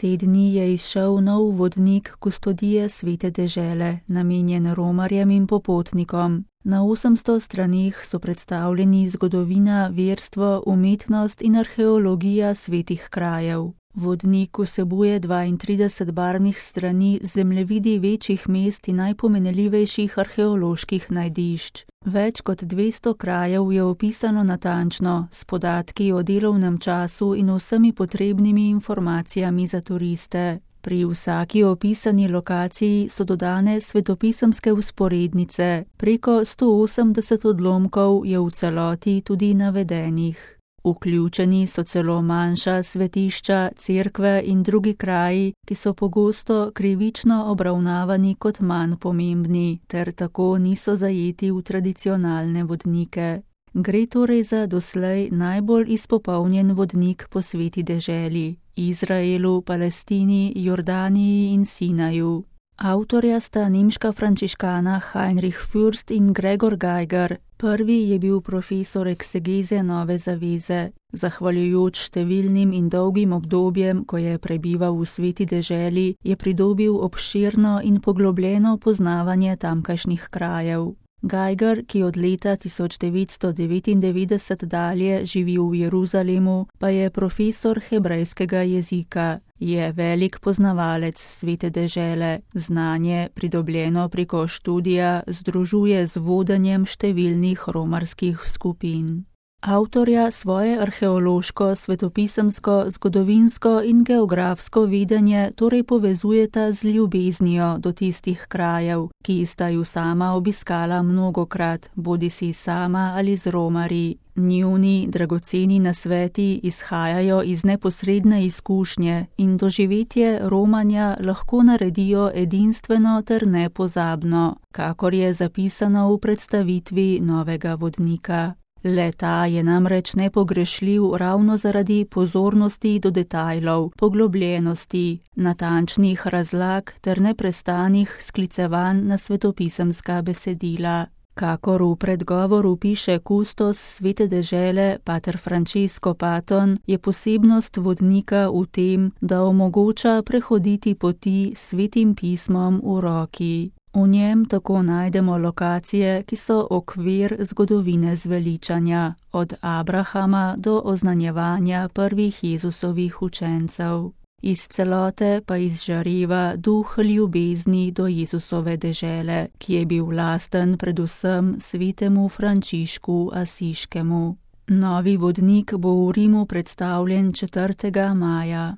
Te dni je izšel nov vodnik Kustodije svete dežele, namenjen romarjem in popotnikom. Na 800 straneh so predstavljeni zgodovina, verstvo, umetnost in arheologija svetih krajev. Vodnik vsebuje 32 barvnih strani z zemljevidi večjih mest in najpomenljivejših arheoloških najdišč. Več kot 200 krajev je opisano natančno, s podatki o delovnem času in vsemi potrebnimi informacijami za turiste. Pri vsaki opisani lokaciji so dodane svetopisemske vzporednice, preko 180 odlomkov je v celoti tudi navedenih. Vključeni so celo manjša svetišča, cerkve in drugi kraji, ki so pogosto krivično obravnavani kot manj pomembni, ter tako niso zajeti v tradicionalne vodnike. Gre torej za doslej najbolj izpopolnjen vodnik po sveti deželi, Izraelu, Palestini, Jordaniji in Sinaju. Avtorja sta nemška frančiškana Heinrich Fürst in Gregor Geiger. Prvi je bil profesor eksegeze Nove zaveze. Zahvaljujoč številnim in dolgim obdobjem, ko je prebival v sveti deželi, je pridobil obširno in poglobljeno poznavanje tamkajšnjih krajev. Geiger, ki od leta 1999 dalje živi v Jeruzalemu, pa je profesor hebrejskega jezika. Je velik poznavalec svete dežele, znanje, pridobljeno preko študija, združuje z vodenjem številnih romarskih skupin. Avtorja svoje arheološko, svetopisemsko, zgodovinsko in geografsko vedenje torej povezujeta z ljubeznijo do tistih krajev, ki sta ju sama obiskala mnogokrat, bodisi sama ali z romarji. Njuni dragoceni nasveti izhajajo iz neposredne izkušnje in doživetje romanja lahko naredijo edinstveno ter nepozabno, kakor je zapisano v predstavitvi novega vodnika. Le-ta je namreč nepogrešljiv ravno zaradi pozornosti do detajlov, poglobljenosti, natančnih razlag ter neprestanih sklicevanj na svetopisemska besedila. Kakor v predgovoru piše kustos svete dežele pater Francesco Paton, je posebnost vodnika v tem, da omogoča prehoditi poti s svetim pismom v roki. V njem tako najdemo lokacije, ki so okvir zgodovine zveličanja, od Abrahama do oznanjevanja prvih Jezusovih učencev. Iz celote pa izžareva duh ljubezni do Jezusove dežele, ki je bil lasten predvsem svetemu Frančišku Asiškemu. Novi vodnik bo v Rimu predstavljen 4. maja.